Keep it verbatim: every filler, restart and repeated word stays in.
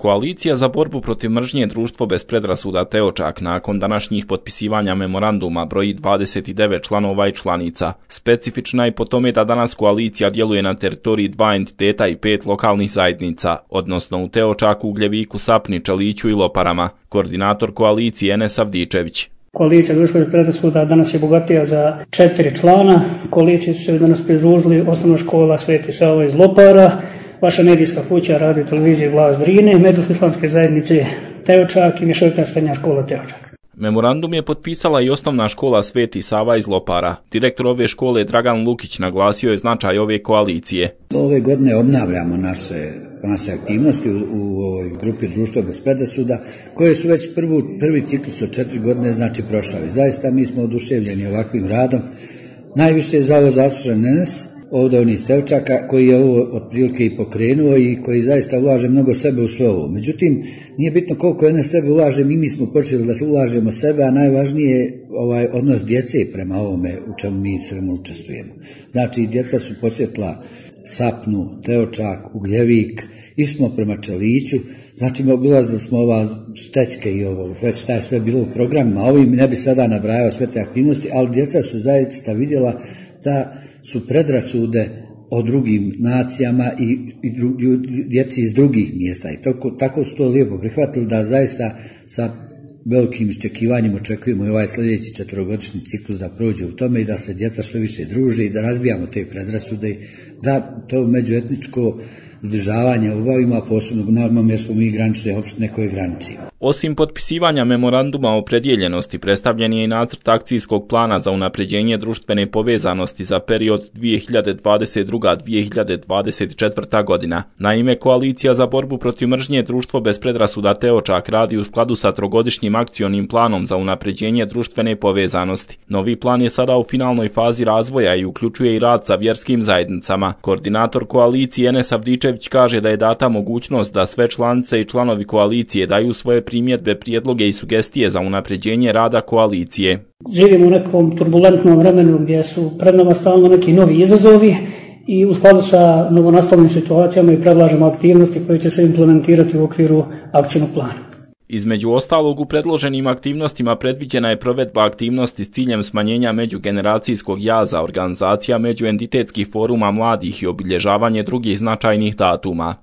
Koalicija za borbu protiv mržnje Društvo bez predrasuda Teočak nakon današnjih potpisivanja memoranduma broji dvadeset devet članova i članica. Specifična je po tome da danas koalicija djeluje na teritoriji dva entiteta i pet lokalnih zajednica, odnosno u Teočaku, Ugljeviku, Sapni, Čeliću i Loparama. Koordinator koalicije Enes Avdičević. Koalicija Društvo bez predrasuda danas je bogatija za četiri člana. Koaliciji su se danas pridružili Osnovna škola Sveti Sava iz Lopara, vaša medijska kuća, radio televizije Glas Drine, Međusislamske zajednice Teočak i mješovita srednja škola Teočak. Memorandum je potpisala i Osnovna škola Sveti Sava iz Lopara. Direktor ove škole Dragan Lukić naglasio je značaj ove koalicije. Ove godine obnavljamo naše, naše aktivnosti u, u ovoj grupi Društvo bez predrasuda, koje su već prvu, prvi ciklus od četiri godine znači prošli. Zaista mi smo oduševljeni ovakvim radom. Najviše je za ovo zaslužen Enes, ovdje on iz Teočaka, koji je ovo otprilike i pokrenuo i koji zaista ulaže mnogo sebe u sve ovo. Međutim, nije bitno koliko je na sebe ulaže, mi, mi smo počeli da se ulažemo sebe, a najvažnije je ovaj odnos djece prema ovome u čemu mi svemu učestvujemo. Znači, djeca su posjetila Sapnu, Teočak, Ugljevik, išli smo prema Čeliću, znači obilazili smo ova Stećke i ovo, već šta je sve bilo u programima, ovim ne bi sada nabrajao sve te aktivnosti, ali djeca su zaista vidjela da su predrasude o drugim nacijama i, i dru, djeci iz drugih mjesta. I tako, tako su to lijepo prihvatili da zaista sa velikim iščekivanjem očekujemo i ovaj sljedeći četvrogodišnji ciklus da prođe u tome i da se djeca što više druže i da razbijamo te predrasude, da to međuetničko zbližavanje obavimo, a posebno normalno jer smo mi granične opštine koje graničimo. Osim potpisivanja memoranduma o opredjeljenosti, predstavljen je i nacrt akcijskog plana za unapređenje društvene povezanosti za period dvije hiljade dvadeset druga do dvije hiljade dvadeset četvrta godina. Naime, Koalicija za borbu protiv mržnje Društvo bez predrasuda Teočak radi u skladu sa trogodišnjim akcionim planom za unapređenje društvene povezanosti. Novi plan je sada u finalnoj fazi razvoja i uključuje i rad sa vjerskim zajednicama. Koordinator koalicije Enes Avdičević kaže da je data mogućnost da sve članice i članovi koalicije daju svoje primjedbe, prijedloge i sugestije za unapređenje rada koalicije. Živimo u nekom turbulentnom vremenu gdje su pred nama stalno neki novi izazovi i u skladu sa novonastalim situacijama i predlažemo aktivnosti koje će se implementirati u okviru akcijnog plana. Između ostalog, u predloženim aktivnostima predviđena je provedba aktivnosti s ciljem smanjenja međugeneracijskog jaza, organizacija međuentitetskih foruma mladih i obilježavanje drugih značajnih datuma.